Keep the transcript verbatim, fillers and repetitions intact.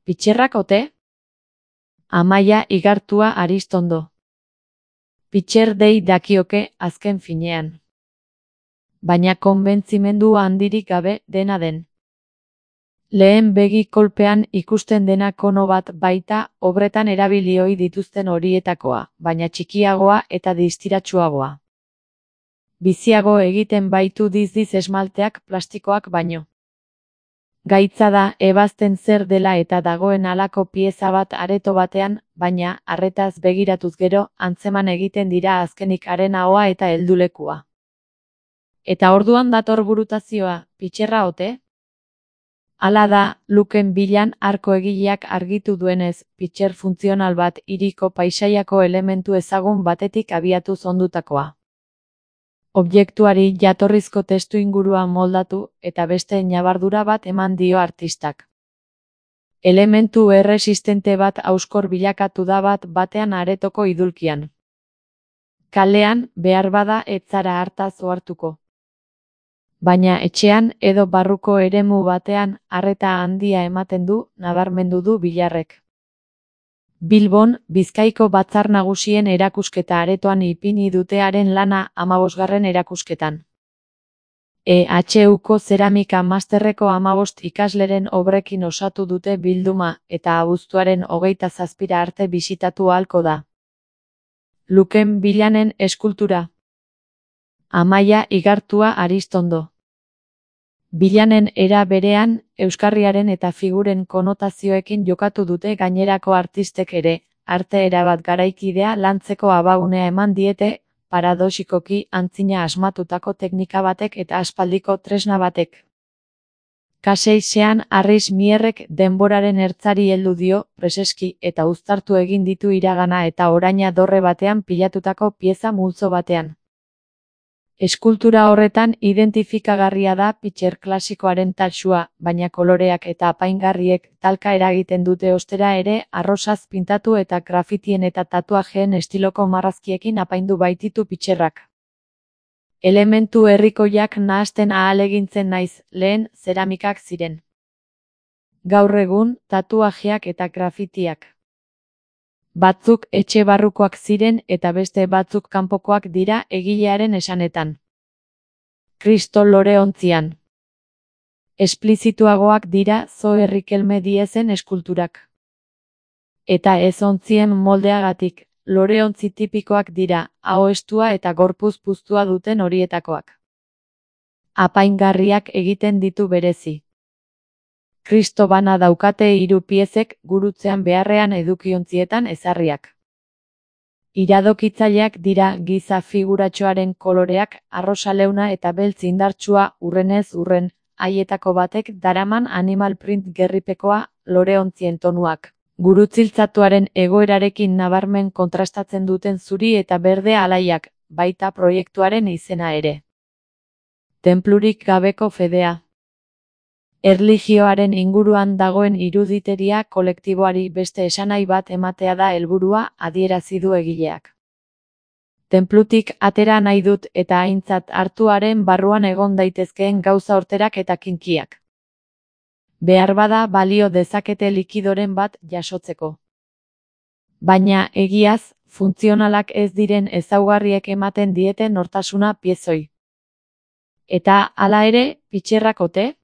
Pitxerrak ote? Amaia Igartua Aristondo. Pitxer dei dakioke azken finean. Baina konbentzimendu handirik gabe dena den. Lehen begi kolpean ikusten dena kono bat baita obretan erabili ohi dituzten horietakoa, baina txikiagoa eta distiratsuagoa. Biziago egiten baitu diz-diz esmalteak plastikoak baino. Gaitza da ebazten zer dela eta dagoen halako pieza bat areto batean, baina arretaz begiratuz gero antzeman egiten dira azkenik haren ahoa eta heldulekua. Eta orduan dator burutazioa, pitxerra ote? Hala da, Luken bilan arko egileak argitu duenez, pitxer funtzional bat hiriko paisaiako elementu ezagun batetik abiatuz ondutakoa. Objektuari jatorrizko testuingurua moldatu eta beste ñabardura bat eman dio artistak. Elementu erresistente bat hauskor bilakatu da bat batean aretoko idulkian. Kalean, beharbada ez zara hartaz ohartuko. Baina etxean edo barruko eremu batean arreta handia ematen du, nabarmendu du Bilarrek. Bilbon, Bizkaiko Batzar Nagusien erakusketa aretoan ipini dute haren lana hamabosgarren erakusketan. E H Uko Zeramika Masterreko hamabost ikasleren obrekin osatu dute bilduma eta abuztuaren hogeita zazpira arte bisitatu ahalko da. Luken bilanen eskultura. Amaia Igartua Aristondo. Bilanen era berean, euskarriaren eta figuren konotazioekin jokatu dute gainerako artistek ere, arte erabat garaikidea lantzeko abagunea eman diete, paradoxikoki antzina asmatutako teknika batek eta aspaldiko tresna batek. Kaseixean Arris Mierrek denboraren ertzari heldu dio, preseski eta uztartu egin ditu iragana eta oraina dorre batean pilatutako pieza multzo batean. Eskultura horretan identifikagarria da pitxer klasikoaren taxua, baina koloreak eta apaingarriek talka eragiten dute ostera ere arrosaz pintatu eta grafitien eta tatuajeen estiloko marrazkiekin apaindu baititu pitxerrak. Elementu herrikoiak nahasten ahalegintzen naiz, lehen zeramikak ziren. Gaur egun, tatuajeak eta grafitiak. Batzuk etxe barrukoak ziren eta beste batzuk kanpokoak dira egilearen esanetan. Kristo loreontzian. Esplizituagoak dira Zoe Rikelme Diezen eskulturak. Eta ez ontzien moldeagatik, loreontzi tipikoak dira, aho estua eta gorpuz puztua duten horietakoak. Apaingarriak egiten ditu berezi. Kristo bana daukate hiru piezek gurutzean beharrean edukiontzietan ezarriak. Iradokitzaileak dira giza figuratxoaren koloreak arrosa leuna eta beltz indartsua urrenez urren, haietako batek daraman animal print gerripekoa loreontzien tonuak. Gurutziltzatuaren egoerarekin nabarmen kontrastatzen duten zuri eta berde alaiak, baita proiektuaren izena ere. Tenplurik gabeko fedea. Erlijioaren inguruan dagoen iruditeria kolektiboari beste esanahi bat ematea da helburua, adierazi du egileak. Tenplutik atera nahi dut eta aintzat hartuaren barruan egon daitezkeen gauza horterak eta kinkiak. Beharbada balio dezakete likidoren bat jasotzeko. Baina egiaz, funtzionalak ez diren ezaugarriek ematen dieten nortasuna piezoi. Eta hala ere, pitxerrak ote?